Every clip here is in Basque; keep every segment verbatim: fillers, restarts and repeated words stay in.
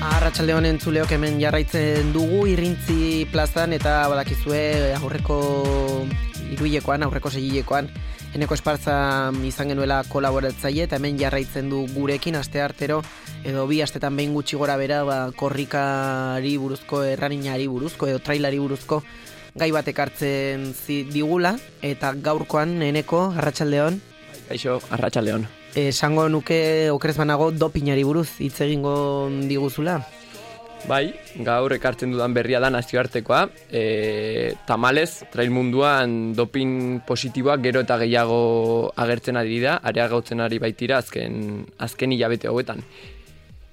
Arratsalde honen entzuleok hemen jarraitzen dugu Irrintzi plazan eta badakizue aurreko hiruhilekoan, aurreko seihilekoan Eneko Espartza izan genuela kolaboratzaile eta hemen jarraitzen du gurekin asteartero edo bi astetan behin gutxi gora bera ba, korrikari buruzko, erraninari buruzko edo trailari buruzko gai batek hartzen digula eta gaurkoan Eneko, arratsaldeon. Kaixo, arratsaldeon. Esango nuke okerez banago dopinari buruz hitz egingo diguzula. Bai, gaur ekartzen dudan berria da nazioartekoa. E, tamalez, trail munduan dopin positiboak gero eta gehiago agertzen ari da, areagotzen ari baitira azken, azken hilabete hauetan.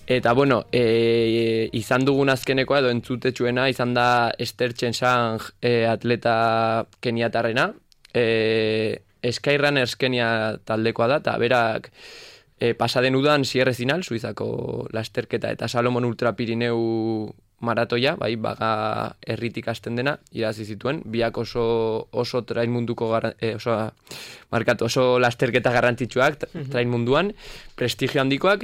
Eta bueno, e, izan dugun azkenekoa edo entzutetsuena izan da Esther Chensang e, atleta keniatarrena. E, Skyrunner Kenia taldekoa da, eta berak e, pasaden udan Sierre Zinal, Suizako lasterketa eta Salomon Ultra Pirineu maratoia, bai, baga herritik hasten dena, irazi zituen, biak oso, oso trail munduko, gara, e, oso, markatu, oso lasterketa garrantzitsuak, mm-hmm. trail munduan, prestigio handikoak,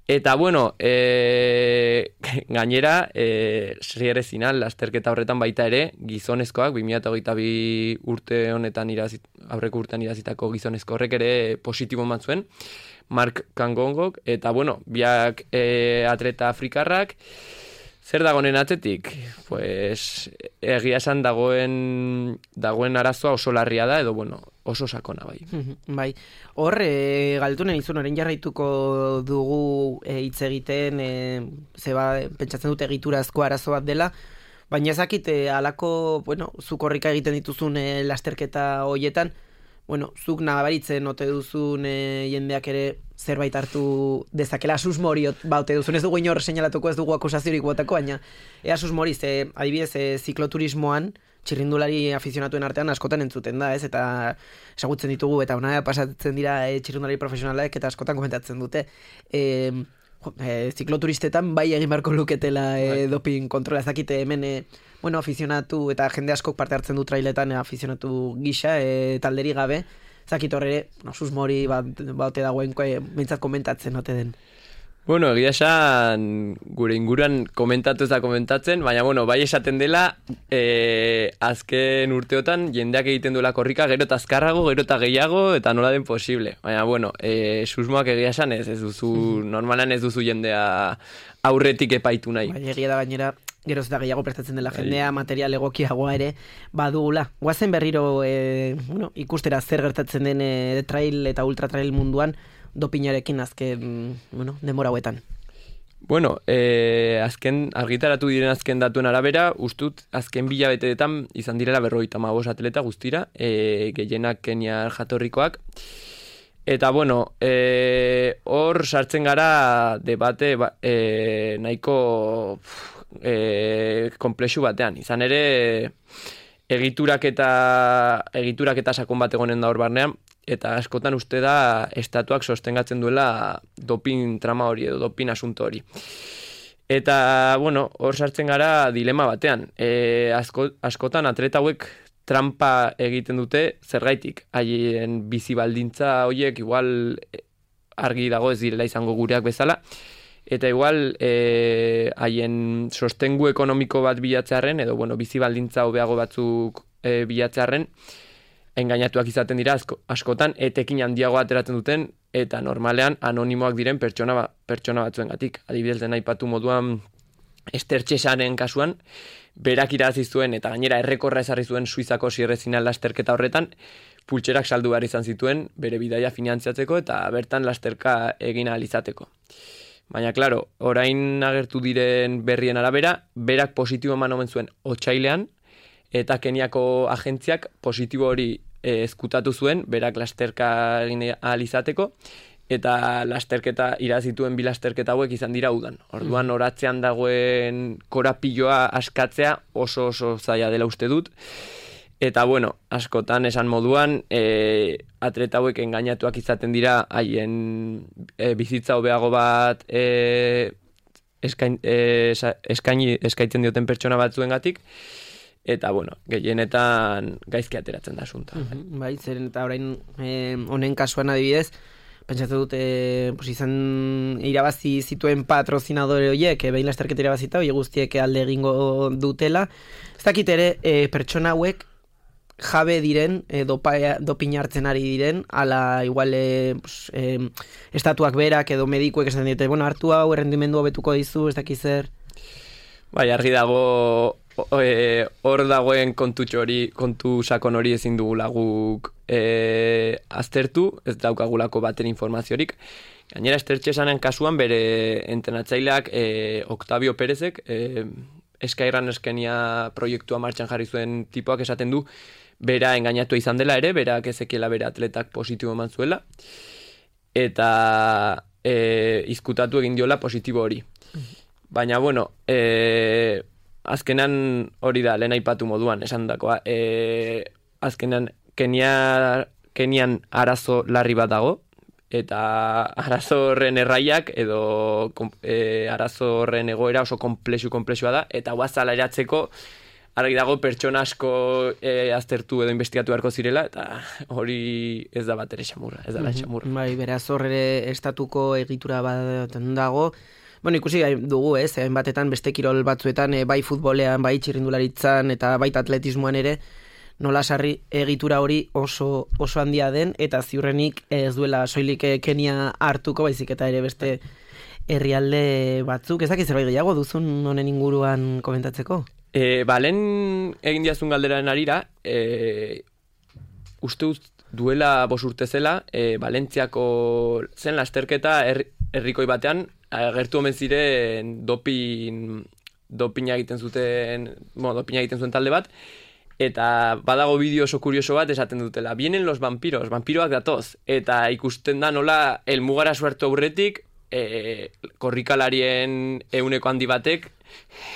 eta bueno, e, gainera, e, Sierre Zinal lasterketa horretan baita ere, gizonezkoak, bi mila hogeita bi urte honetan irazit, aurreko urtean irazitako gizonezko horrek ere positibo eman zuen, Mark Kangongok, eta bueno, biak e, atleta afrikarrak, zer dagoen atzetik? Pues, egia esan dagoen, dagoen arazoa oso larria da, edo bueno, oso sakona bai. Bai, hor, e, galtunen izun, orain jarraituko dugu hitz e, egiten, e, zeba, pentsatzen dute egiturazko arazo bat dela, baina ezakit, e, alako, bueno, zuk korrika egiten dituzun e, lasterketa hoietan, bueno, zuk nabaritzen ote duzun e, jendeak ere zerbait hartu dezakela susmoriot baute duzun, ez dugu inor seinalatuko, ez dugu akusaziorik botako, baina ea susmoriz, e, adibidez, e, zikloturismoan, txirrindulari afizionatuen artean askotan entzuten da, ez, eta esagutzen ditugu, eta ona pasatzen dira e, txirrindulari profesionalak, eta askotan komentatzen dute, e, e, zikloturistetan bai egin beharko luketela e, doping kontrola, ezakite hemen, e, bueno, afizionatu, eta jende askok parte hartzen du trailetan e, afizionatu gisa, e, talderi gabe, ezakit horre, no, susmori bat, baute dagoen, e, mintzat komentatzen ote den. Bueno, egia esan gure inguruan komentatu ez da komentatzen, baina bueno, bai esaten dela e, azken urteotan jendeak egiten duela korrika gero eta azkarrago, gero eta gehiago eta nola den posible. Baina bueno, e, susmoak egia esan ez, ez duzu, normalan ez duzu jendea aurretik epaitu nahi. Bai, egia da gainera, geroz eta gehiago prestatzen dela jendea, material egokiagoa ere badugula. Guazen berriro e, bueno, ikustera zer gertatzen den e, trail eta ultra trail munduan, dopinarekin azken, bueno, denbora hauetan. Bueno, eh, azken, argitaratu diren azken datuen arabera, ustut, azken bilabeteetan izan direla berrogeita hamabost atleta guztira, eh, gehienak Keniar jatorrikoak. Eta, bueno, eh, hor sartzen gara debate eh, nahiko eh, komplexu batean. Izan ere, egiturak eta, egiturak eta sakon bat egonen da hor barnean, eta askotan uste da estatuak sostengatzen duela dopin trama hori edo dopin asunto hori. Eta, bueno, hor sartzen gara dilema batean. E, asko, askotan atleta hauek trampa egiten dute zergaitik. Haien bizi baldintza horiek igual argi dago ez direla izango gureak bezala. Eta igual e, haien sostengu ekonomiko bat bilatzearren edo bueno, bizi baldintza hobeago batzuk e, bilatzearren, engainatuak izaten dira asko, askotan etekin handiago ateratzen duten eta normalean anonimoak diren pertsona, ba, pertsona batzuengatik. Adibidez den aipatu moduan Esther Chensangren kasuan, berak irabazi zuen eta gainera errekorra ezarri zuen Suizako Sierre Zinal lasterketa horretan, pultserak saldu behar izan zituen bere bidaia finantziatzeko eta bertan lasterka egin ahal izateko. Baina, klaro, orain agertu diren berrien arabera, berak positibo eman omen zuen otsailean, eta Keniako agentziak positibo hori e, ezkutatu zuen, berak lasterka egin ahal izateko, eta lasterketa irazituen bi lasterketa hauek izan dira udan. Orduan oratzean dagoen korapiloa askatzea oso oso zaila dela uste dut. Eta bueno, askotan esan moduan, e, atleta hauek engainatuak izaten dira haien e, bizitza hobeago bat e, eskain, e, eskaini, eskaitzen dioten pertsona batzuengatik. Eta, bueno, gehienetan gaizki ateratzen da asunta. Uh-huh, bai, zeren eta orain eh, honen kasuan adibidez, pentsatzen dut, e, pues izan irabazi zituen patrozinadore horiek, e, behin lasterketa irabazita, hori guztiek alde egingo dutela. Ez dakit ere, e, pertsona hauek jabe diren, e, dopa, dopina hartzen ari diren, ala igual e, pues, e, estatuak berak edo medikuek esan dite, bueno, hartu hau, errendimendu hobetuko dizu, ez dakit zer. Bai, argi dago hor e, dagoen kontutxo hori, kontu sakon hori ezin dugula guk e, aztertu, ez daukagulako baten informaziorik. Gainera, Estertxesanen kasuan bere entrenatzaileak e, Octavio Perezek, e, Eskairan eskenia proiektua martxan jarri zuen tipoak esaten du, bera engainatu izan dela ere, berak ezekiela bere atletak positibo eman zuela, eta e, izkutatu egin diola positibo hori. Baina, bueno, e, azkenan hori da, lehen aipatu moduan, esan dakoa, e, azkenan Kenia, Kenian arazo larri bat dago, eta arazo horren erraiak edo e, arazo horren egoera oso komplexu komplexua da, eta guazala eratzeko argi dago pertsona asko e, aztertu edo investigatu beharko zirela, eta hori ez da bat ere xamurra, ez da bat xamurra. Bai, beraz horre estatuko egitura bat dago. Bueno, ikusi dugu, ez, batetan beste kirol batzuetan, e, bai futbolean, bai txirrindularitzan, eta baita atletismoan ere, nola sarri egitura hori oso oso handia den, eta ziurrenik ez duela soilik Kenia hartuko, baizik eta ere beste herrialde batzuk. Ez dakit zerbait gehiago duzun honen inguruan komentatzeko? E, ba, lehen egin diazun galderaren arira, e, uste duela bos urte zela, e, Valentziako zen lasterketa her, herrikoi batean, agertu omen ziren dopin, dopina egiten zuten, bueno, dopina egiten zuen talde bat, eta badago bideo oso kurioso bat esaten dutela, vienen los vampiros, vampiroak datoz, eta ikusten da nola helmugara suertu aurretik, e, korrikalarien euneko handi batek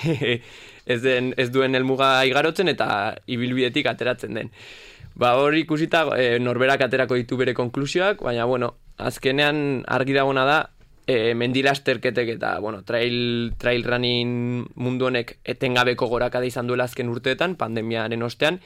ez, den, ez duen helmuga igarotzen eta ibilbidetik ateratzen den. Ba hor ikusita e, norberak aterako ditu bere konklusioak, baina bueno, azkenean argi dagona da, E, mendilasterketek eta bueno, trail, trail running mundu honek etengabeko gorakada izan duela azken urteetan, pandemiaren ostean,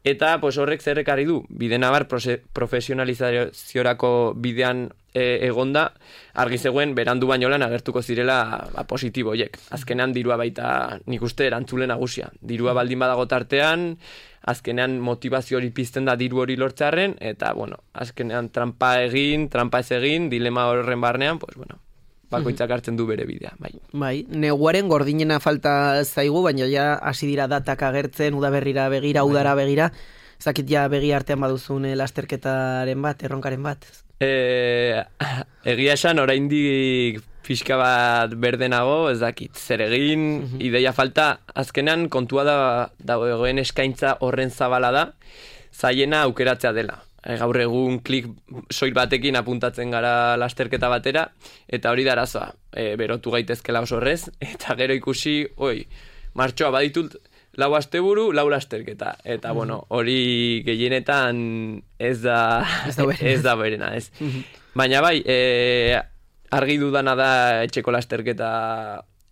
eta pues, horrek zerrekarri du, bide nabar profesionalizaziorako bidean e, egonda, argi zegoen berandu baino lan agertuko zirela ba, positibo horiek. Azkenean dirua baita nik uste erantzule nagusia. Dirua baldin badago tartean, azkenean motivazio hori pizten da diru hori lortzearren, eta, bueno, azkenean trampa egin, trampa ez egin, dilema horren barnean, pues, bueno, bakoitzak hartzen du bere bidea, bai. Bai, neguaren gordinena falta zaigu, baina ja hasi dira datak agertzen, udaberrira begira, bai. Udara begira, zakit ja begi artean baduzun lasterketaren bat, erronkaren bat? E, egia esan, oraindik fiska bat berdenago, ez dakit, zer egin, uh-huh. Ideia falta, azkenan kontua da dagoen eskaintza horren zabala da, zaiena aukeratzea dela. E, gaur egun klik soil batekin apuntatzen gara lasterketa batera, eta hori da arazoa, e, berotu gaitezkela oso horrez, eta gero ikusi, oi, martxoa baditut, lau asteburu, lau lasterketa, eta uh-huh. Bueno, hori gehienetan ez da, ez da berena, ez. Da berena, ez. Uh-huh. Baina bai, e, argi dudana da etxeko lasterketa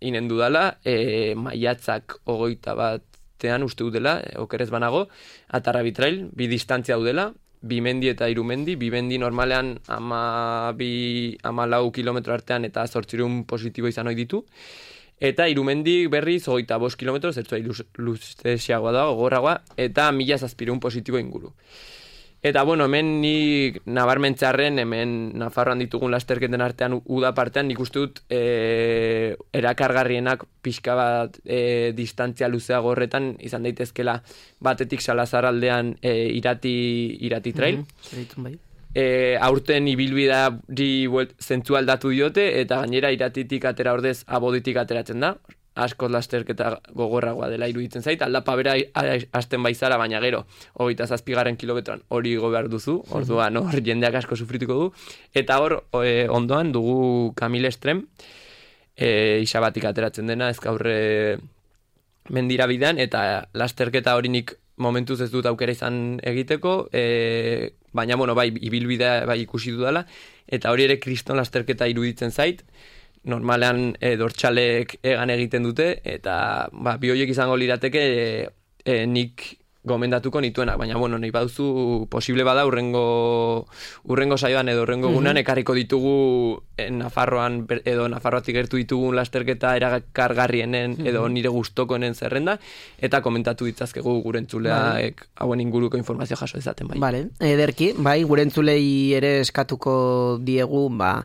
inen dudala, e, maiatzak ogoita batean uste dudela, okerez banago, Atarrabi Trail, bi distantzia dudela, bi mendi eta hiru mendi, bi mendi normalean ama, bi, ama lau kilometro artean eta zortzirun positibo izan ohi ditu, eta hiru mendi berriz ogoita bost kilometro, zertzua luzteziagoa da, gogorragoa, eta mila zazpirun positibo inguru. Eta, bueno, hemen nik nabarmentzarren, hemen Nafarroan ditugun lasterketen artean uda partean, nik uste dut e, erakargarrienak pixka bat e, distantzia luzeago horretan izan daitezkela batetik Salazar aldean e, irati, irati trail. Mm-hmm. Bai. E, aurten ibilbidari zentzu aldatu diote, eta gainera iratitik atera ordez aboditik ateratzen da. Askoz lasterketa gogorragoa dela iruditzen zait, aldapa bera hasten baizara, baina gero, hogeita zazpigarren kilometroan hori igo behar duzu, orduan hor jendeak asko sufrituko du, eta hor e, ondoan dugu Camille Estrem, e, isabatik ateratzen dena, ez gaurre mendira bidean, eta lasterketa hori nik momentuz ez dut aukera izan egiteko, e, baina bueno, bai, ibilbidea bai ikusi dudala, eta hori ere kriston lasterketa iruditzen zait, normalean e, dortxalek egan egiten dute, eta ba, bi horiek izango lirateke e, e, nik gomendatuko nituenak, baina bueno, nahi baduzu posible bada urrengo urrengo saioan edo urrengo egunean ekarriko ditugu eh, Nafarroan edo Nafarroatik gertu ditugun lasterketa erakargarrienen edo nire gustokoenen zerrenda eta komentatu ditzazkegu gure entzuleak hauen inguruko informazio jaso dezaten bai. Vale, ederki, bai, gure entzulei ere eskatuko diegu, ba,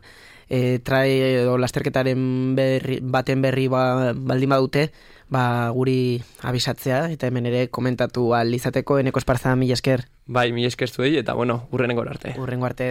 e, trae edo lasterketaren berri, baten berri ba, baldin badute, ba, guri abisatzea, eta hemen ere komentatu ahal izateko. Eneko Esparza, mila esker. Bai, mila esker zuei, eta bueno, urrenengo arte. Urrengo arte.